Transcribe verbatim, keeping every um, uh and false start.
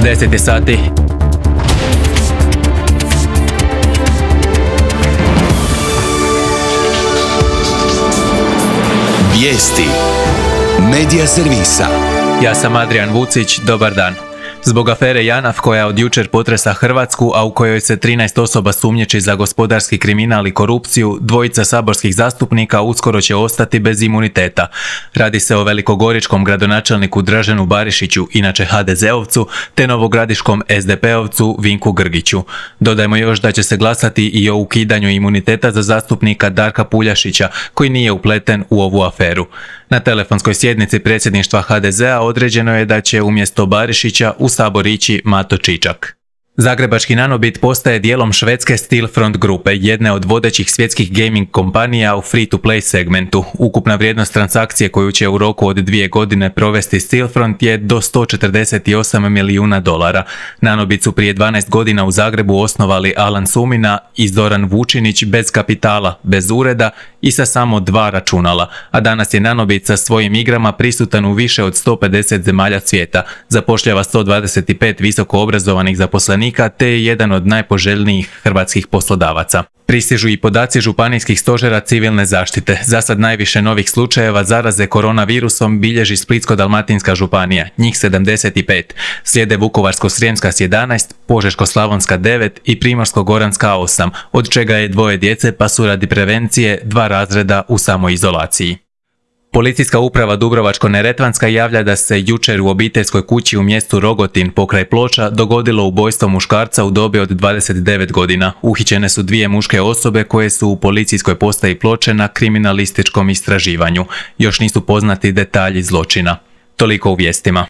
deset je sati. Vijesti Medija servisa. Ja sam Adrian Vucić, dobar dan. Zbog afere JANAF koja od jučer potresa Hrvatsku, a u kojoj se trinaest osoba sumnjiči za gospodarski kriminal i korupciju, dvojica saborskih zastupnika uskoro će ostati bez imuniteta. Radi se o velikogoričkom gradonačelniku Draženu Barišiću, inače ha de zeovcu, te novogradiškom es de peovcu Vinku Grgiću. Dodajmo još da će se glasati i o ukidanju imuniteta za zastupnika Darka Puljašića, koji nije upleten u ovu aferu. Na telefonskoj sjednici predsjedništva ha de zea određeno je da će umjesto Barišića u Sabor ići Mato Čičak. Zagrebački Nanobit postaje dijelom švedske Stillfront grupe, jedne od vodećih svjetskih gaming kompanija u free-to-play segmentu. Ukupna vrijednost transakcije koju će u roku od dvije godine provesti Stillfront je do sto četrdeset osam milijuna dolara. Nanobit su prije dvanaest godina u Zagrebu osnovali Alan Sumina i Zoran Vučinić bez kapitala, bez ureda i sa samo dva računala, a danas je Nanobit sa svojim igrama prisutan u više od sto pedeset zemalja svijeta, zapošljava sto dvadeset pet visoko obrazovanih zaposlenika te je jedan od najpoželjnijih hrvatskih poslodavaca. Pristižu i podaci županijskih stožera civilne zaštite. Za sad najviše novih slučajeva zaraze koronavirusom bilježi Splitsko-dalmatinska županija, njih sedamdeset pet. Slijede Vukovarsko-srijemska s jedanaest, Požeško-slavonska devet i Primorsko-goranska osam, od čega je dvoje djece pa su radi prevencije dva razreda u samoizolaciji. Policijska uprava Dubrovačko-neretvanska javlja da se jučer u obiteljskoj kući u mjestu Rogotin pokraj Ploča dogodilo ubojstvo muškarca u dobi od dvadeset devet godina. Uhićene su dvije muške osobe koje su u policijskoj postaji Ploče na kriminalističkom istraživanju. Još nisu poznati detalji zločina. Toliko u vijestima.